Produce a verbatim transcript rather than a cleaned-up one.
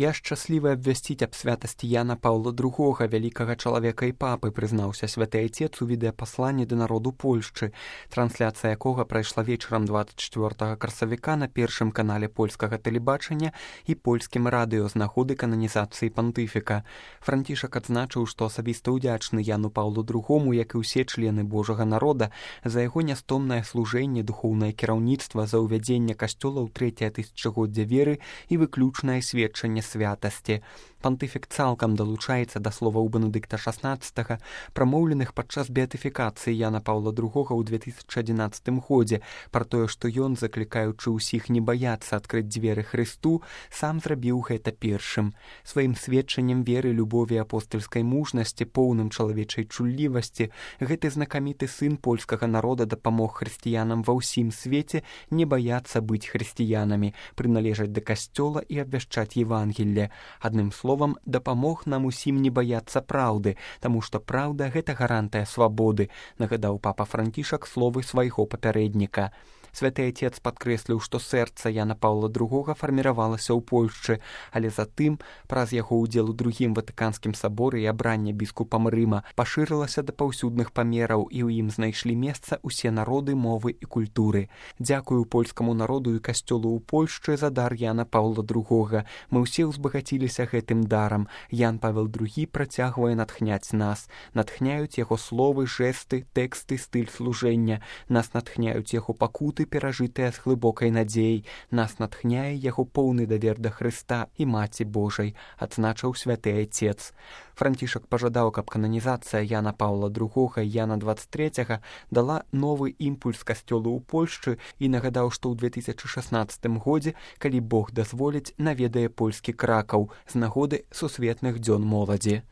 Я шчаслівы абвясціць аб святасці Яна Паўла другога, вялікага чалавека і папы, прызнаўся святы айцец у відэапасланні да народу Польшчы, трансляцыя якога прайшла вечарам двадцать четвёртага красавіка на першым канале польскага тэлебачання і польскім радыё з нагоды кананізацыі пантыфіка. Францішак адзначыў, што асабіста ўдзячны Яну Паўлу другому, як і ўсе члены Божага народа, за яго нястомнае служэнне, духоўнае кіраўніцтва, за ўвядзенне касцёла ў трэцяе тысячагоддзе веры і выключнае сведчанне святасці. Пантыфік цалкам далучаецца да словаў Бенедыкта шаснаццатага, прамоўленых падчас беатыфікацыі Яна Паўла другога ў две тысячы адзінаццатым годзе, пра тое, што ён, заклікаючы ўсіх не баяцца адкрыць дзверы Хрысту, сам зрабіў гэта першым. Сваім сведчаннем веры, любові, апостальскай мужнасці, поўным чалавечай чуллівасці, гэты знакаміты сын польскага народа дапамог хрысціянам ва ўсім свеце не баяцца быць хрысціянамі, прыналежаць да касцёла і абвяшчаць Евангелле. Адным словам, дапамог нам усім не баяцца праўды, таму што праўда — гэта гарантыя свабоды, нагадаў папа Францішак словы свайго папярэдніка. Святы айцец падкрэсліў, што сэрца Яна Паўла другога фарміравалася ў Польшчы, але затым, праз яго ўдзел у другім ватыканскім саборы і абранне біскупам Рыма, пашырылася да паўсюдных памераў, і ў ім знайшлі месца ўсе народы, мовы і культуры. Дзякую польскаму народу і касцёлу ў Польшчы за дар Яна Паўла другога. Мы ўсе ўзбагаціліся гэтым дарам. Ян Павел другі працягвае натхняць нас. Натхняюць яго словы, жэсты, тэксты, стыль служэння. Нас натхняюць яго пакуты, перажытыя з глыбокай надзеяй. Нас натхняе яго поўны давер да Хрыста і Маці Божай, адзначыў святы айцец. Францішак пажадаў, каб кананізацыя Яна Паўла другога і Яна двадцать трэцяга дала новы імпульс касцёлу ў Польшчы і нагадаў, што ў две тысячы шаснаццатым годзе, калі Бог дазволіць, наведае польскі Кракаў з нагоды сусветных дзён моладзі.